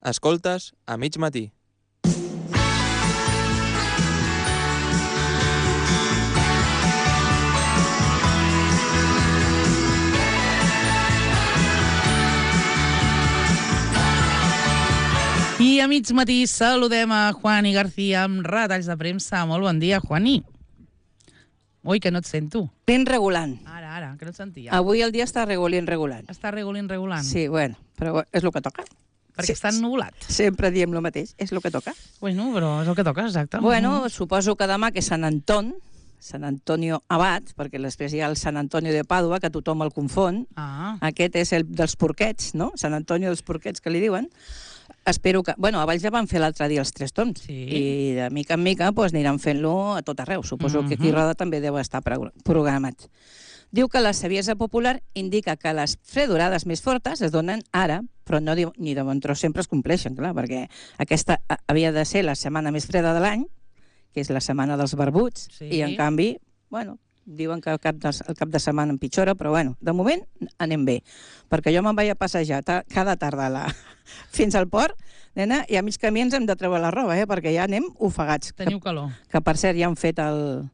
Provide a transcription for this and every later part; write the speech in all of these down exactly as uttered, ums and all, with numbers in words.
Escoltes a mig matí. I a mig matí saludem a Juani García amb retalls de premsa. Molt bon dia, Juani. Ui, que no et sento. Ben regulant. Ara, ara, que no et sentia. Avui el dia està regulint, regulant. Està regulint, regulant. Sí, bueno, però és el que toca. Perquè Sí. està ennubulat. Sempre diem el mateix, és el que toca. Bueno, però és el que toca, exacte. Bueno, suposo que demà, que és Sant Anton, Sant Antonio Abad, perquè després hi ha el Sant Antonio de Pàdua, que tothom el confon. Ah, Aquest és el dels porquets, no? Sant Antonio dels porquets, que li diuen. Espero que... Bueno, a Valls ja van fer l'altre dia els tres tons. Sí. I de mica en mica pues, aniran fent-lo a tot arreu. Suposo que aquí a Roda també deu estar pro- programat. Diu que la saviesa popular indica que les fredorades més fortes es donen ara, però no diu, ni de bon tros sempre es compleixen, clar, perquè aquesta a- havia de ser la setmana més freda de l'any, que és la setmana dels barbuts, Sí. i en canvi, bueno, diuen que el cap, de, el cap de setmana empitjora, però bueno, de moment anem bé, perquè jo me'n vaig a passejar ta, cada tarda a la, fins al port, nena, i a mig camí ens hem de treure la roba, eh, perquè ja anem ofegats. teniu calor. Que, que per cert ja han fet el,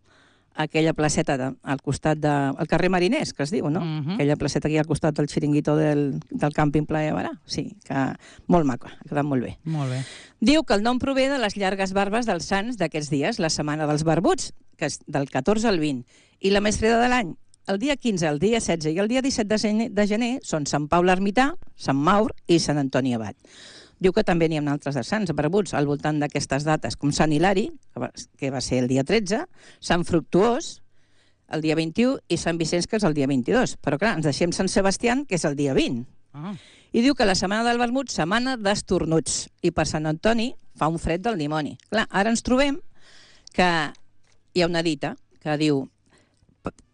aquella placeta de, al costat del de, carrer Mariners, que es diu, no? Mhm. Aquella placeta aquí al costat del xiringuito del, del càmping Playa Barà. Sí, que molt maco, ha quedat molt bé. Molt bé. Diu que el nom prové de les llargues barbes dels sants d'aquests dies, la setmana dels barbuts, que és del catorze al vint, i la més freda de l'any. El dia quinze, el dia setze i el dia disset de gener, de gener són Sant Pau l'Ermità, Sant Maur i Sant Antoni Abat. Diu que també n'hi ha altres de sants barbuts al voltant d'aquestes dates, com Sant Hilari, que va, que va ser el dia tretze, Sant Fructuós, el dia vint-i-u, i Sant Vicenç, que és el dia vint-i-dos. Però clar, ens deixem Sant Sebastián, que és el dia vint. Ah, I diu que la setmana del vermut, setmana d'estornuts. I per Sant Antoni fa un fred del dimoni. Clar, ara ens trobem que hi ha una dita que diu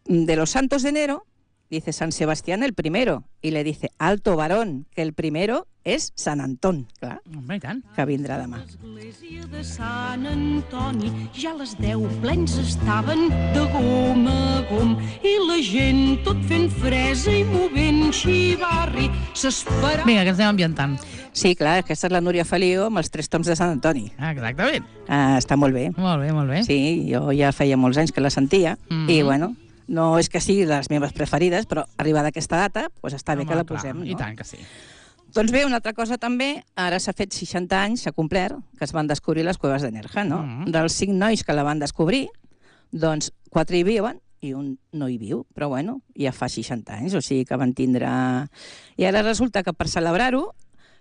de los santos de enero, dice San Sebastián el primero, y le dice, alto varón, que el primero es San Antón. Clar, home, i tant. que vindrà demà. L'església de Sant Antoni ja a les deu plens estaven de gom a gom i la gent tot fent fresa i movent xivarri s'esperava. Vinga, que ens anem ambientant. Sí, clar, aquesta és la Núria Feliu amb els tres toms de Sant Antoni. Ah, exactament. Ah, està molt bé. Molt bé, molt bé. Sí, jo ja feia molts anys que la sentia, Mhm. i bueno, no és que sigui de les meves preferides, però arribada aquesta data, doncs està bé Home, que la clar, posem, no? I tant que sí. Doncs bé, una altra cosa també, ara s'ha fet seixanta anys, s'ha complert, que es van descobrir les cueves de Nerja, no? Mhm. Dels cinc nois que la van descobrir, doncs quatre hi viuen i un no hi viu, però bueno, ja fa seixanta anys, o sigui que van tindre... I ara resulta que per celebrar-ho,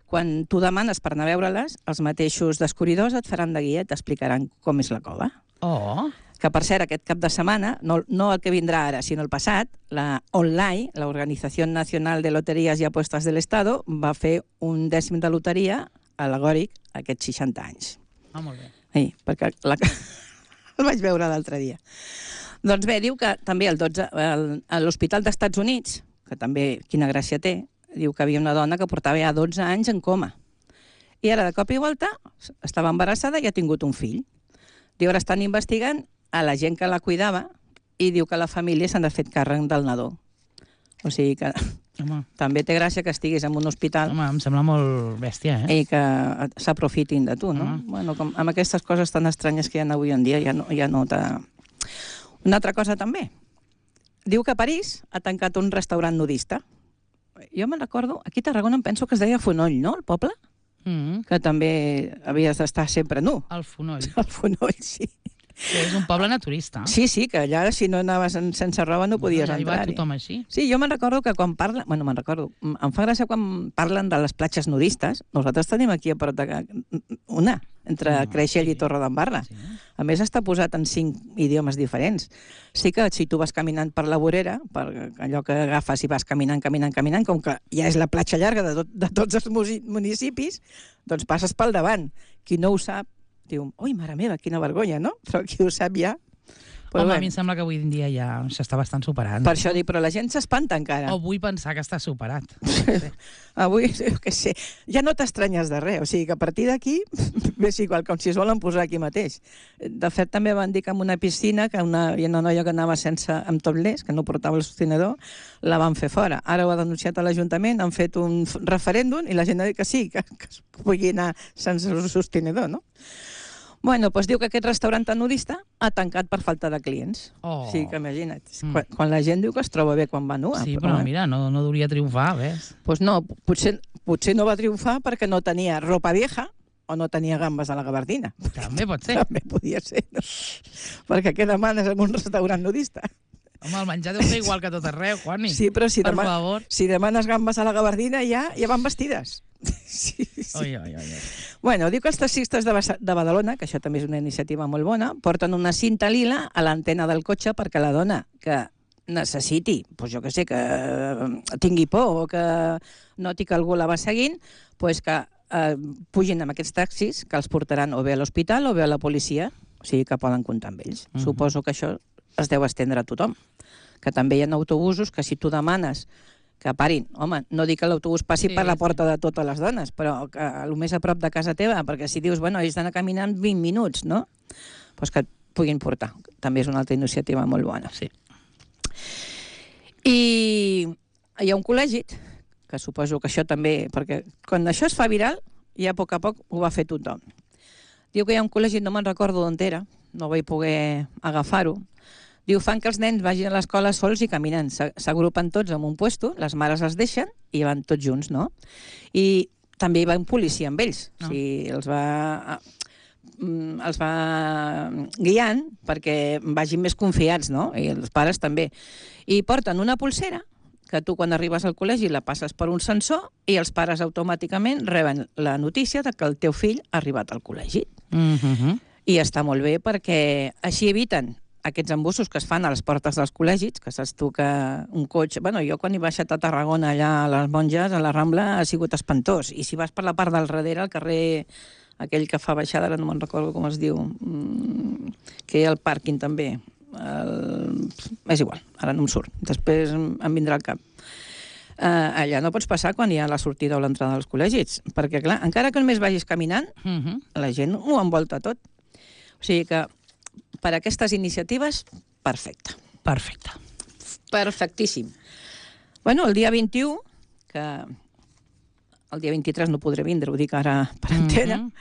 quan tu demanes per anar a veure-les, els mateixos descobridors et faran de guia i t'explicaran com és la cova. Oh, Que, per cert, aquest cap de setmana, no, no el que vindrà ara, sinó el passat, la ONLAI, la Organizació Nacional de Loterías i Apuestas del Estado, va fer un dècim de loteria al·legòric a aquests seixanta anys. ah, molt bé. Sí, perquè la... el vaig veure l'altre dia. Doncs bé, diu que també el dotze, el, a l'Hospital dels Estats Units, que també quina gràcia té, diu que havia una dona que portava ja dotze anys en coma. I ara, de cop i volta, estava embarassada i ha tingut un fill. Diu, ara estan investigant a la gent que la cuidava i diu que la família s'han de fer càrrec del nadó. O sigui que Home, també té gràcia que estiguis en un hospital home, em sembla molt bèstia, eh? i que s'aprofitin de tu, no? Ah. Bueno, com amb aquestes coses tan estranyes que hi ha avui en dia, ja no, ja no t'ha... Una altra cosa també. Diu que a París ha tancat un restaurant nudista. Jo me'n recordo, aquí a Tarragona em penso que es deia Fonoll, no?, el poble? Mm, Que també havies d'estar sempre nu. el Fonoll, El Fonoll, sí. que és un poble naturista. Sí, sí, que allà si no anaves en, sense roba no podies Allà hi va entrar-hi. tothom així. Sí, jo me'n recordo que quan parlen... Bueno, me'n recordo. Em fa gràcia quan parlen de les platges nudistes. Nosaltres tenim aquí a prop de... una, entre Ah, Creixell sí. i Torredembarra. Sí. A més, està posat en cinc idiomes diferents. Sí que si tu vas caminant per la vorera, per allò que agafes i vas caminant, caminant, caminant, com que ja és la platja llarga de, tot, de tots els musi- municipis, doncs passes pel davant. Qui no ho sap, diu, ui, mare meva, quina vergonya, no? Però qui ho sap ja... Però Home, bé, a mi em sembla que avui en dia ja s'està bastant superant. per això dic, però la gent s'espanta encara. O vull pensar que està superat. Avui, jo què sé, ja no t'estranyes de res, o sigui que a partir d'aquí és igual, com si es volen posar aquí mateix. De fet, també van dir que en una piscina, que una, hi ha una noia que anava sense, amb topless, que no portava el sostenidor, la van fer fora. Ara ho ha denunciat a l'Ajuntament, han fet un referèndum i la gent ha dit que sí, que, que es pugui anar sense el sostenidor, no? Bueno, doncs diu que aquest restaurant tan nudista ha tancat per falta de clients. Oh. O sigui que imagina't, Mm. quan, quan la gent diu que es troba bé quan va nua. Sí, però mira, no, no hauria triomfar, ves? Doncs no, potser, potser no va triomfar perquè no tenia ropa vieja o no tenia gambes a la gabardina. També pot ser. També podia ser, no? Perquè què demanes en un restaurant nudista? Home, el menjar deu ser igual que a tot arreu, Juani. Sí, però si, Per dema favor. si demanes gambes a la gabardina ja, ja van vestides. Sí, sí. Oi, oi, oi, oi. Bueno, diu que els taxistes de, Basa- de Badalona, que això també és una iniciativa molt bona, porten una cinta lila a l'antena del cotxe perquè la dona que necessiti, doncs jo que sé, que eh, tingui por o que noti que algú la va seguint, doncs que eh, pugin amb aquests taxis que els portaran o bé a l'hospital o bé a la policia, o sigui que poden comptar amb ells. Mhm. Suposo que això es deu estendre a tothom. Que també hi ha autobusos que si tu demanes que parin, home, no dic que l'autobús passi Sí, per la sí. porta de totes les dones, però que el més a prop de casa teva, perquè si dius, bueno, ells d'anar caminant vint minuts, no? Doncs que et puguin portar. També és una altra iniciativa molt bona. Sí. I hi ha un col·legi, que suposo que això també, perquè quan això es fa viral, ja a poc a poc ho va fer tothom. Diu que hi ha un col·legi, no me'n recordo d'on era, no vaig poder agafar-ho. Diu, fan que els nens vagin a l'escola sols i caminant. S'a- S'agrupen tots en un puesto, les mares els deixen i van tots junts, no? I també hi va un policia amb ells. Ah. O sigui, els va, mm, els va guiant perquè vagin més confiats, no? I els pares també. I porten una pulsera que tu quan arribes al col·legi la passes per un sensor i els pares automàticament reben la notícia de que el teu fill ha arribat al col·legi. Mm-hmm. I està molt bé perquè així eviten aquests embussos que es fan a les portes dels col·legis, que saps tu que un cotxe... Bueno, jo quan he baixat a Tarragona, allà a les Monges, a la Rambla, ha sigut espantós. I si vas per la part del darrere, al carrer aquell que fa baixada, ara no me'n recordo com es diu, mm, que hi ha el pàrquing també. El... És igual, ara no em surt. Després em vindrà al cap. Uh, allà no pots passar quan hi ha la sortida o l'entrada dels col·legis, perquè, clar, encara que només vagis caminant, Mm-hmm. la gent ho envolta tot. O sigui que per aquestes iniciatives, perfecte. Perfecte. Perfectíssim. Bueno, el dia vint-i-u, que el dia vint-i-tres no podré vindre, ho dic ara per antena, Mhm.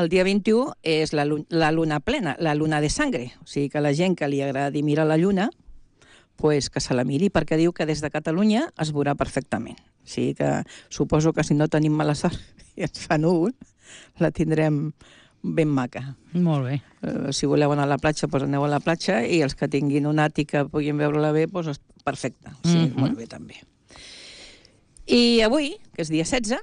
el dia vint-i-u és la, lu- la luna plena, la luna de sangre. O sigui que la gent que li agradi mirar la lluna, pues que se la miri, perquè diu que des de Catalunya es veurà perfectament. O sigui que suposo que si no tenim mala sort i ens fa núvol, la tindrem ben maca. Molt bé. Uh, si voleu anar a la platja, doncs aneu a la platja, i els que tinguin un àtic que puguin veure-la bé, doncs perfecte. Sí, Mhm. molt bé també. I avui, que és dia setze,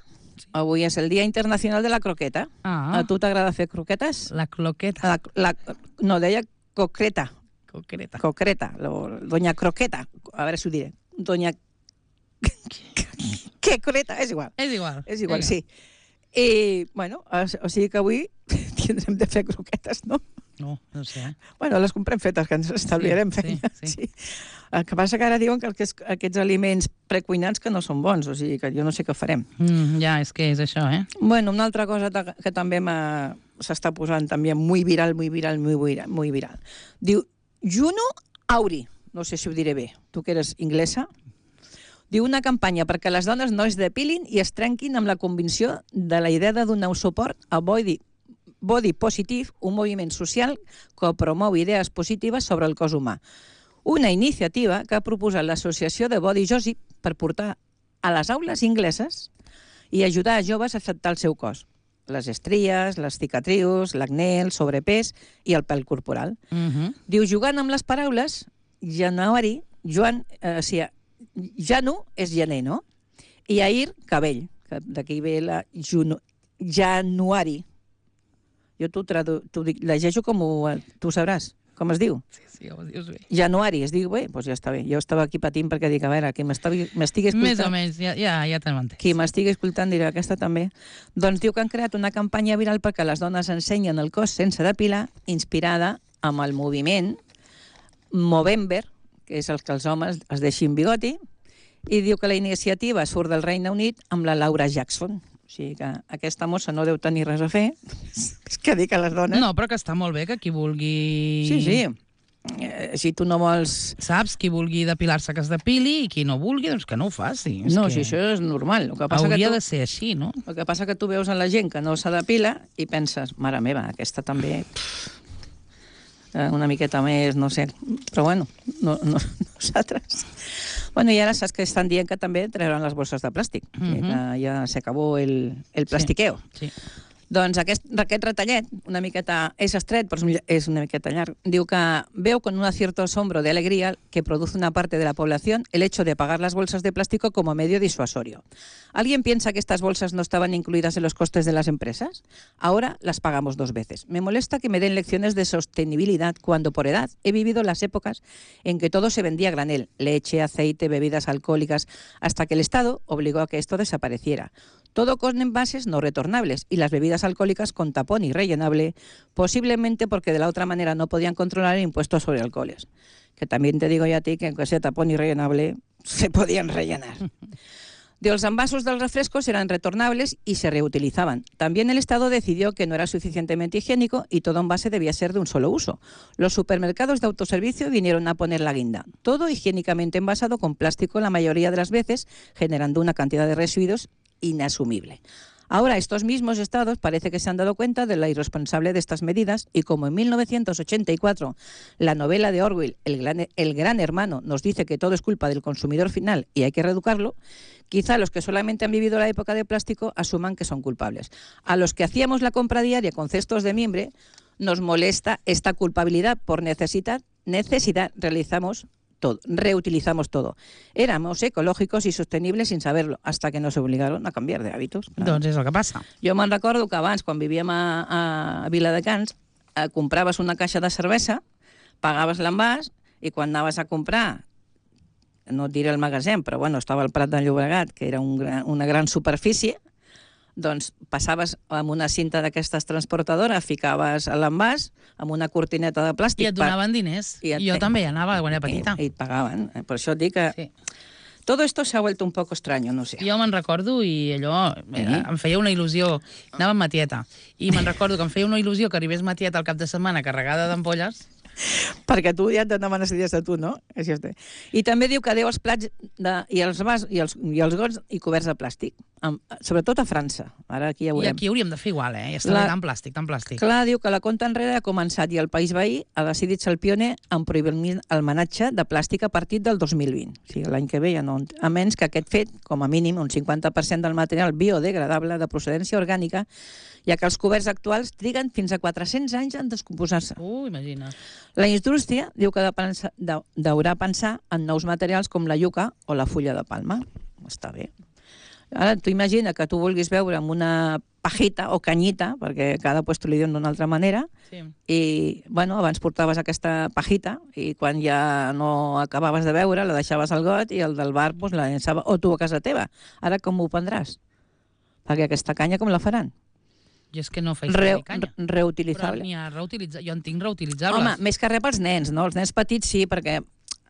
avui és el Dia Internacional de la Croqueta. Ah, A tu t'agrada fer croquetes? la cloqueta. La, la, no, deia concreta, Concreta. concreta, lo, doña Croqueta, a veure si ho diré. Doña... Què croqueta? És igual. És igual. És igual, Vinga. sí. I, bueno, o o sigui que avui tindrem de fer croquetes, no? No, no sé. Eh? Bueno, les comprem fetes, que ens estalviarem Sí, feina. sí, sí. El que passa que ara diuen que aquests, aquests aliments precuinats que no són bons, o sigui que jo no sé què farem. Mm, ja, és que és això, eh? Bueno, una altra cosa ta- que també m'ha- s'està posant també muy viral, muy viral, muy viral, muy viral. Diu Juno Auri, no sé si ho diré bé, tu que eres inglesa. Diu una campanya perquè les dones no es depilin i es trenquin amb la convicció de la idea de donar suport a Body, Body Positive, un moviment social que promou idees positives sobre el cos humà. Una iniciativa que ha proposat l'associació de Body Josip per portar a les aules ingleses i ajudar a joves a acceptar el seu cos. Les estries, les cicatrius, l'acné, el sobrepès i el pèl corporal. Mm-hmm. Diu, jugant amb les paraules, Januari, Joan, eh, o sigui, Janu és gener, no? I Air, cabell, que d'aquí ve la Juno, Januari. Jo t'ho tradu- t'ho dic, llegeixo com ho, tu sabràs, com es diu. Sí, sí, ho dius bé. Januari, es diu bé? Doncs ja està bé. Jo estava aquí patint perquè dic, a veure, qui m'estigui escoltant... Més o menys, ja, ja, ja te'n entès. Qui m'estigui escoltant dirà, aquesta també. Doncs diu que han creat una campanya viral perquè les dones ensenyen el cos sense depilar, inspirada amb el moviment Movember, que és el que els homes es deixin bigoti, i diu que la iniciativa surt del Regne Unit amb la Laura Jackson. O sigui que aquesta mossa no deu tenir res a fer. És que dic a les dones... No, però que està molt bé que qui vulgui... Sí, sí. Eh, si tu no vols... Saps? Qui vulgui depilar-se que es depili i qui no vulgui, doncs que no ho faci. És No, que si això és normal. El que passa hauria que tu... de ser així, no? El que passa que tu veus a la gent que no se depila i penses, mare meva, aquesta també... Pff, una miqueta més, no sé. Però bueno, no, no, nosaltres... Bueno, i ara saps que estan dient que també trauran les bosses de plàstic. Uh -huh. Que ja s'acabó el, el plastiqueo. Sí. Sí. Doncs aquest, aquest retallet, una miqueta, és estret, però és una miqueta llarg, diu que veo con un cierto asombro de alegría que produce una parte de la población el hecho de pagar las bolsas de plástico como medio disuasorio. ¿Alguien piensa que estas bolsas no estaban incluidas en los costes de las empresas? Ahora las pagamos dos veces. Me molesta que me den lecciones de sostenibilidad cuando por edad he vivido las épocas en que todo se vendía a granel, leche, aceite, bebidas alcohólicas, hasta que el Estado obligó a que esto desapareciera. Todo con envases no retornables y las bebidas alcohólicas con tapón y rellenable, posiblemente porque de la otra manera no podían controlar el impuesto sobre alcoholes. Que también te digo yo a ti que aunque sea tapón y rellenable, se podían rellenar. De los envasos de los refrescos eran retornables y se reutilizaban. También el Estado decidió que no era suficientemente higiénico y todo envase debía ser de un solo uso. Los supermercados de autoservicio vinieron a poner la guinda. Todo higiénicamente envasado con plástico la mayoría de las veces, generando una cantidad de residuos inasumible. Ahora estos mismos estados parece que se han dado cuenta de la irresponsable de estas medidas y como en mil novecientos ochenta y cuatro la novela de Orwell, el gran, el gran hermano, nos dice que todo es culpa del consumidor final y hay que reeducarlo, quizá los que solamente han vivido la época de plástico asuman que son culpables. A los que hacíamos la compra diaria con cestos de mimbre nos molesta esta culpabilidad por necesidad, necesidad realizamos todo, reutilizamos todo. Éramos ecològicos i sostenibles sin saberlo, hasta que nos obligaron a canviar de hábitos. Clar. Doncs és el que passa. Jo me'n recordo que abans, quan vivíem a, a Viladecans, eh, compraves una caixa de cervesa, pagaves l'envàs, i quan anaves a comprar, no et diré el magatzem, però bueno, estava al Prat de Llobregat, que era un gran, una gran superfície, doncs passaves amb una cinta d'aquestes transportadores, ficaves a l'envàs amb una cortineta de plàstic. I et donaven diners. I et... Jo també hi anava quan era petita. I, i et pagaven. Per això et dic que... Sí. Todo esto se ha vuelto un poco extraño, no sé. Jo me'n recordo i allò eh, em feia una il·lusió. Anava amb ma tieta. I me'n recordo que em feia una il·lusió que arribés ma tieta al cap de setmana carregada d'ampolles. Perquè tu ja et donaven les idees de tu, no? I també diu que deu els plats de, i els vas i els, i els gots i coberts de plàstic, amb, sobretot a França. Ara aquí ja ho I aquí hauríem de fer igual, eh? I està la... tan plàstic, tan plàstic. Clar, diu que la compta enrere ha començat i el país veí ha decidit ser el pioner en prohibir el menatge de plàstic a partir del dos mil vint. O sigui, l'any que ve ja no... A menys que aquest fet, com a mínim, un cinquanta per cent del material biodegradable de procedència orgànica, ja que els coberts actuals triguen fins a quatre-cents anys en descomposar-se. Uh, imagina. La indústria diu que deurà pensar en nous materials com la iuca o la fulla de palma. Està bé. Ara, tu imagina que tu vulguis veure amb una pajita o canyita, perquè cada puesto li diuen d'una altra manera, sí. I, bueno, abans portaves aquesta pajita i quan ja no acabaves de veure la deixaves al got i el del bar pues, la llençava, o tu a casa teva. Ara com ho prendràs? Perquè aquesta canya com la faran? Jo és que no faig Re, canya. Reutilitzable. Però n'hi ha reutilitza... Jo en tinc reutilitzables. Home, més que res pels nens, no? Els nens petits sí, perquè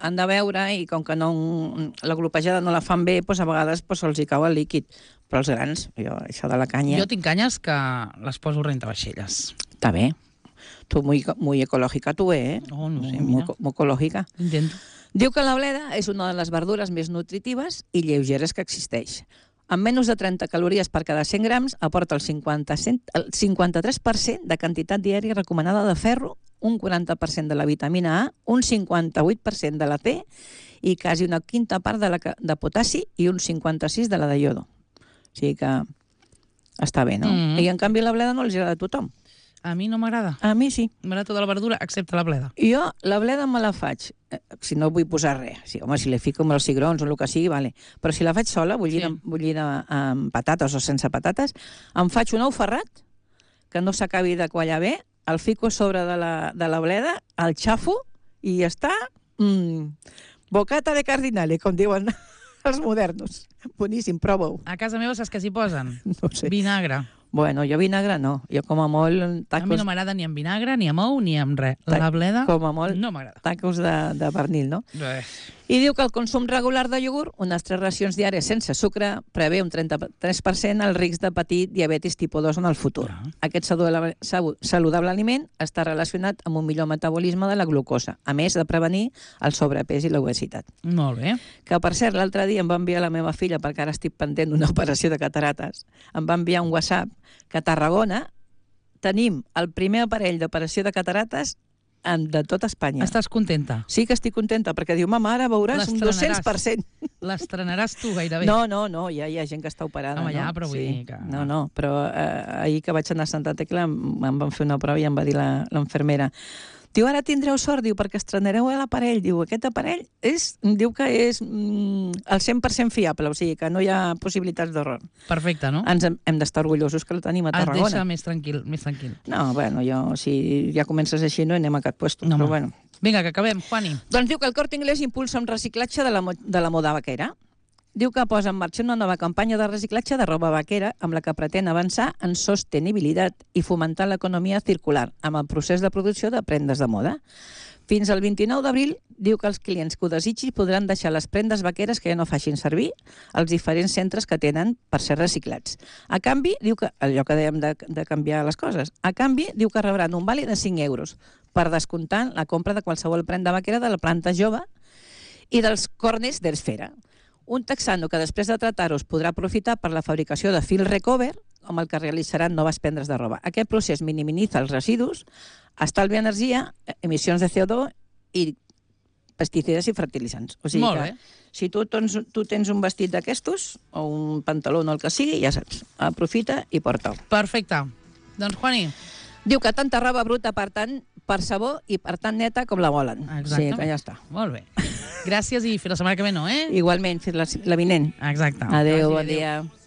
han de veure i com que no, la glopejada no la fan bé, doncs a vegades doncs, se'ls hi cau el líquid. Però els grans, jo, això de la canya... Jo tinc canyes que les poso rentavaixelles. Està bé. Tu, muy, muy ecològica, tu, eh? Oh, no sé, muy, mira. Muy ecològica. Intento. Diu que la bleda és una de les verdures més nutritives i lleugeres que existeix. Amb menys de trenta calories per cada cent grams, aporta el cinquanta-tres per cent de quantitat diària recomanada de ferro, un quaranta per cent de la vitamina A, un cinquanta-vuit per cent de la C i quasi una quinta part de, la, de potassi i un cinquanta-sis per cent de la de iodo. O sigui que està bé, no? Mm-hmm. I en canvi la bleda no els agrada a tothom. A mi no m'agrada. A mi sí. M'agrada tota la verdura, excepte la bleda. Jo la bleda me la faig, si no vull posar res. Sí, home, si li fico amb els cigrons o el que sigui, vale. Però si la faig sola, bullida, sí. bullida amb patates o sense patates, em faig un ou ferrat, que no s'acabi de quallar bé, el fico sobre de la, de la bleda, el xafo, i ja està. Mm, bocata de cardinale, com diuen els modernos. Boníssim, prova-ho. A casa meva saps què s'hi posen? No sé. Vinagre. Bueno, jo vinagre no. Jo com a molt... A mi Tacos, no m'agrada ni amb vinagre, ni amb ou, ni amb res. La bleda com a molt no m'agrada. tacos de, de pernil, no? Res. I diu que el consum regular de iogurt, unes tres racions diàries sense sucre, prevé un trenta-tres per cent el risc de patir diabetis tipus dos en el futur. Ah. Aquest saludable, saludable aliment està relacionat amb un millor metabolisme de la glucosa, a més de prevenir el sobrepès i l'obesitat. Molt bé. Que, per cert, l'altre dia em va enviar la meva filla, perquè ara estic pendent d'una operació de catarates, em va enviar un WhatsApp que a Tarragona tenim el primer aparell d'operació de catarates en, de tot Espanya. Estàs contenta? Sí que estic contenta, perquè diu, mama, ara veuràs un dos-cents per cent. L'estrenaràs tu gairebé. No, no, no, ja hi ha gent que està operada. Home, ja, no? però vull sí. dir que... No, no, però eh, ahir que vaig anar a Santa Tecla em, em van fer una prova i em va dir la- l'enfermera. Diu, ara tindreu sort, diu, perquè estrenareu l'aparell. Diu, aquest aparell és, diu que és mm, el cent per cent fiable, o sigui que no hi ha possibilitats d'error. Perfecte, no? Ens hem, hem d'estar orgullosos que el tenim a Et Tarragona. deixa més tranquil, més tranquil. No, bueno, jo, si ja comences així, no anem a cap puesto, No, però home. bueno. Vinga, que acabem, Juani. Doncs diu que el Corte Inglés impulsa un reciclatge de la, mo- de la moda vaquera. Diu que posa en marxa una nova campanya de reciclatge de roba vaquera amb la que pretén avançar en sostenibilitat i fomentar l'economia circular amb el procés de producció de prendes de moda. Fins al vint-i-nou d'abril, diu que els clients que ho desitgin podran deixar les prendes vaqueres que ja no facin servir als diferents centres que tenen per ser reciclats. A canvi, diu que, allò que dèiem de, de canviar les coses, a canvi, diu que rebran un vàlid de cinc euros per descomptar la compra de qualsevol prenda vaquera de la planta jove i dels corners d'Esfera. Un texano que després de tratar-ho podrà aprofitar per la fabricació de fil recover, amb el que realitzaran noves prendes de roba. Aquest procés minimitza els residus, estalvia energia, emissions de C O dos i pesticides i fertilitzants. O sigui Molt que bé. si tu, tens, tu tens un vestit d'aquestos, o un pantaló o el que sigui, ja saps, aprofita i porta-ho. Perfecte. Doncs, Juani, Diu que tanta roba bruta, per tant, per sabó i per tant neta com la volen. Exacte. Sí, que ja està. molt bé. Gràcies i fins la setmana que ve, no, eh? Igualment, fins la, la vinent. Exacte. Adéu, Que bon vagi bé, adéu. dia.